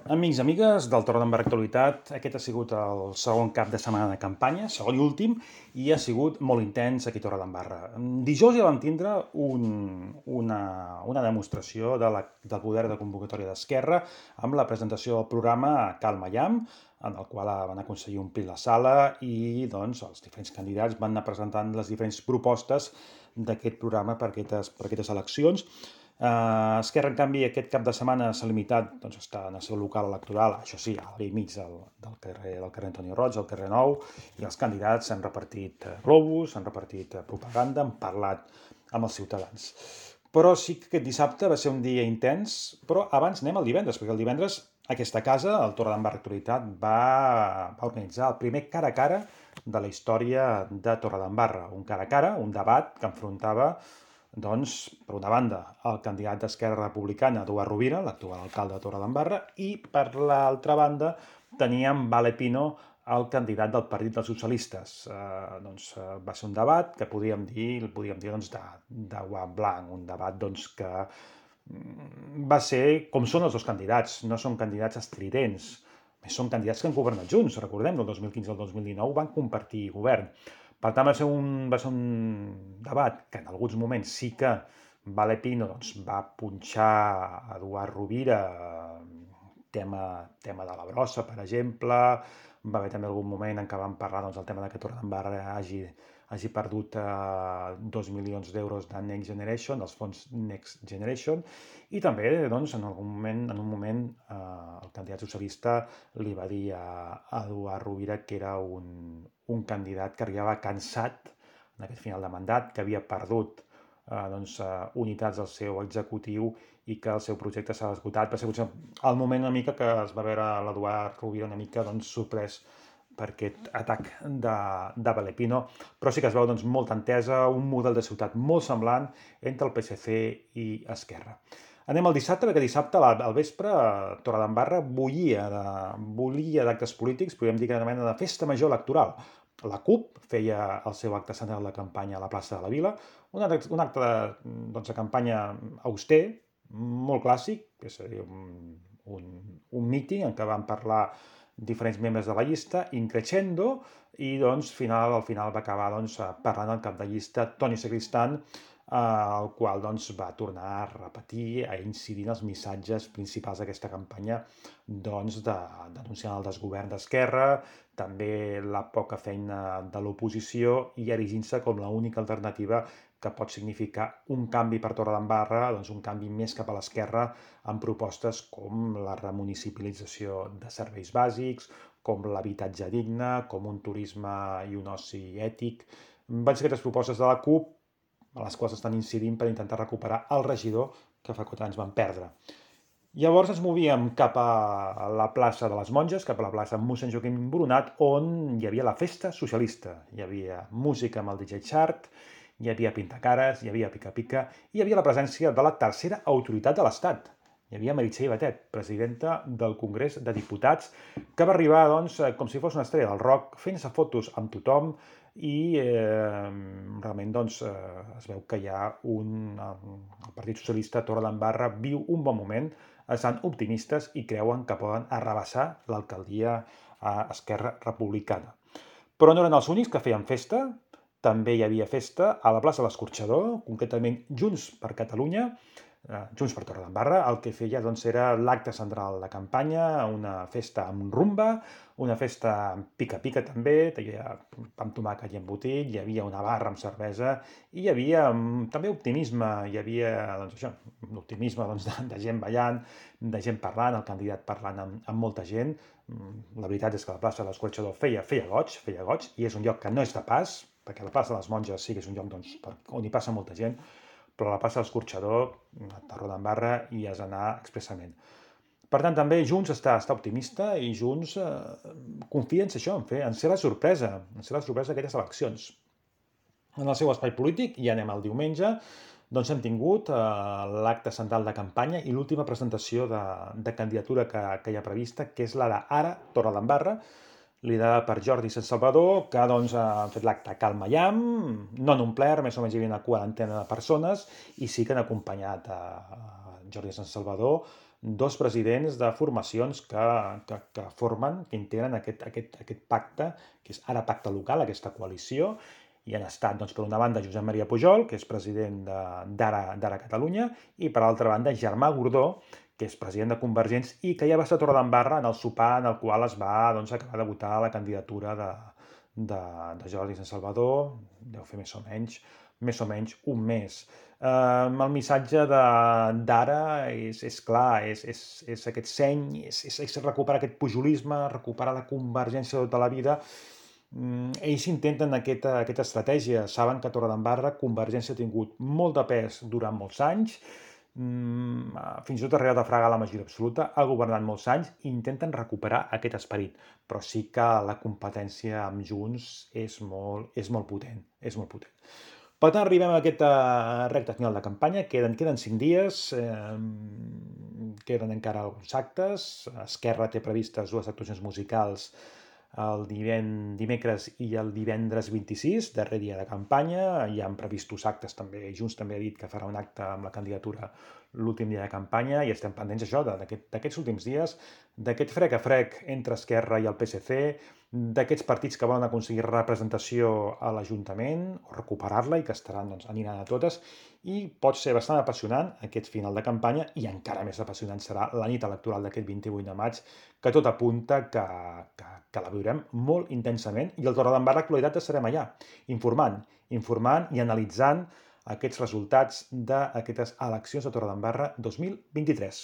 Amics i amigues del Torredembarra Actualitat, aquest ha sigut el segon cap de setmana de campanya, segon i últim, i ha sigut molt intens aquí a Torredembarra. Dijous ja vam tindre una demostració del poder de convocatòria d'Esquerra amb la presentació del programa Calma Llamp, en el qual van aconseguir omplir la sala i doncs, els diferents candidats van anar presentant les diferents propostes d'aquest programa per aquestes eleccions. Esquerra, en canvi, aquest cap de setmana s'ha limitat doncs, a estar en el seu local electoral, això sí, al vell mig del carrer Antoni Roig, al carrer Nou, i els candidats s'han repartit globus, s'han repartit propaganda, han parlat amb els ciutadans. Però sí que aquest dissabte va ser un dia intens, però abans anem al divendres, perquè el divendres aquesta casa, el Torredembarra Actualitat, va organitzar el primer cara a cara de la història de Torredembarra. Un cara a cara, un debat que enfrontava, doncs, per una banda, el candidat d'Esquerra Republicana, Eduard Rovira, l'actual alcalde de Torredembarra, i per l'altra banda teníem Vale Pino, el candidat del Partit dels Socialistes. Va ser un debat que podríem dir doncs, de guant blanc, un debat doncs, que va ser com són els dos candidats, no són candidats estridents, són candidats que han governat junts, recordem, del 2015 al 2019 van compartir govern. Per tant, va ser un debat que en alguns moments sí que Vale Pino doncs, va punxar Eduard Rovira, tema de la brossa, per exemple. Va haver també algun moment en què vam parlar del tema de que Torredembarra hagi perdut 2 milions d'euros de Next Generation, dels fons Next Generation, i també doncs, en un moment el candidat socialista li va dir a Eduard Rovira que era un candidat que arribava cansat en aquest final de mandat, que havia perdut unitats del seu executiu i que el seu projecte s'ha esgotat. Va ser potser el moment una mica que es va veure l'Eduard Rovira una mica sorprès per aquest atac de Vale Pino, però sí que es veu molta entesa, un model de ciutat molt semblant entre el PSC i Esquerra. Anem al dissabte, perquè dissabte al vespre Torredembarra bullia d'actes polítics, podríem dir que era una mena de festa major electoral. La CUP feia el seu acte central de campanya a la plaça de la Vila, un acte de campanya auster, molt clàssic, és a dir, un míting en què van parlar diferents membres de la llista, in crescendo, i al final va acabar parlant el cap de llista, Toni Sacristán, el qual va tornar a repetir, a incidir en els missatges principals d'aquesta campanya, denunciant el desgovern d'Esquerra, també la poca feina de l'oposició i erigint-se com l'única alternativa que pot significar un canvi per Torredembarra, un canvi més cap a l'esquerra, amb propostes com la remunicipalització de serveis bàsics, com l'habitatge digne, com un turisme i un oci ètic. Van ser aquestes propostes de la CUP a les quals estan incidint per intentar recuperar el regidor que fa 4 anys van perdre. Llavors ens movíem cap a la plaça de les Monges, cap a la plaça mossèn Joaquim Boronat, on hi havia la festa socialista. Hi havia música amb el DJ Chart, hi havia pintacares, hi havia pica-pica, i hi havia la presència de la tercera autoritat de l'Estat. Hi havia Meritxell Batet, presidenta del Congrés de Diputats, que va arribar, com si fos una estrella del rock, fent-se fotos amb tothom, i realment es veu que hi ha el Partit Socialista Torredembarra viu un bon moment, estan optimistes i creuen que poden arrabassar l'alcaldia a Esquerra Republicana. Però no eren els únics que feien festa, també hi havia festa a la plaça de l'Escorxador, concretament Junts per Catalunya, Junts per Torredembarra, el que feia era l'acte central de campanya, una festa amb rumba, una festa amb pica-pica també, hi havia pa amb tomàquet i embotit, hi havia una barra amb cervesa i hi havia també optimisme, hi havia l'optimisme de gent ballant, de gent parlant, el candidat parlant amb molta gent. La veritat és que la plaça de l'Escorxador feia goig, i és un lloc que no és de pas, perquè la plaça de les Monges sí que és un lloc on hi passa molta gent, però a la plaça de l'Escorxador, a Torredembarra, hi has d'anar expressament. Per tant, també Junts està optimista i Junts confia en ser això, en ser la sorpresa d'aquestes eleccions. En el seu espai polític, i anem al diumenge, hem tingut l'acte central de campanya i l'última presentació de candidatura que hi ha prevista, que és la d'Ara Torredembarra, liderada per Jordi Sant Salvador, que han fet l'acte Calma Llamp, no en un ple, més o menys hi havia una quarantena de persones, i sí que han acompanyat a Jordi Sant Salvador dos presidents de formacions que formen, que integren aquest pacte, que és ara pacte local, aquesta coalició, i han estat, doncs, per una banda, Josep Maria Pujol, que és president d'Ara Catalunya, i per altra banda, Germà Gordó, que és president de Convergents i que ja va estar a Torredembarra en el sopar en el qual es va acabar de votar la candidatura de Jordi Sant Salvador, deu fer més o menys un mes. El missatge d'ara és clar, és aquest seny, és recuperar aquest pujolisme, recuperar la convergència de tota la vida. Ells intenten aquesta estratègia, saben que a Torredembarra Convergència ha tingut molt de pes durant molts anys, fins i tot ha arribat a fregar la majoria absoluta, ha governat molts anys i intenten recuperar aquest esperit, però sí que la competència amb Junts és molt potent, és molt potent. Per tant, arribem a aquesta recta final de campanya, queden 5 dies, queden encara alguns actes, Esquerra té previstes 2 actuacions musicals el dimecres i el divendres 26, darrer dia de campanya. Hi han previstos actes també, Junts també ha dit que farà un acte amb la candidatura l'últim dia de campanya i estem pendents això, d'aquests últims dies, d'aquest frec a frec entre Esquerra i el PSC, d'aquests partits que volen aconseguir representació a l'Ajuntament o recuperar-la i que estaran, doncs, aniran a totes, i pot ser bastant apassionant aquest final de campanya i encara més apassionant serà la nit electoral d'aquest 28 de maig, que tot apunta que la viurem molt intensament i el Torredembarra Actualitat estarem allà, informant i analitzant aquests resultats d'aquestes eleccions de Torredembarra 2023.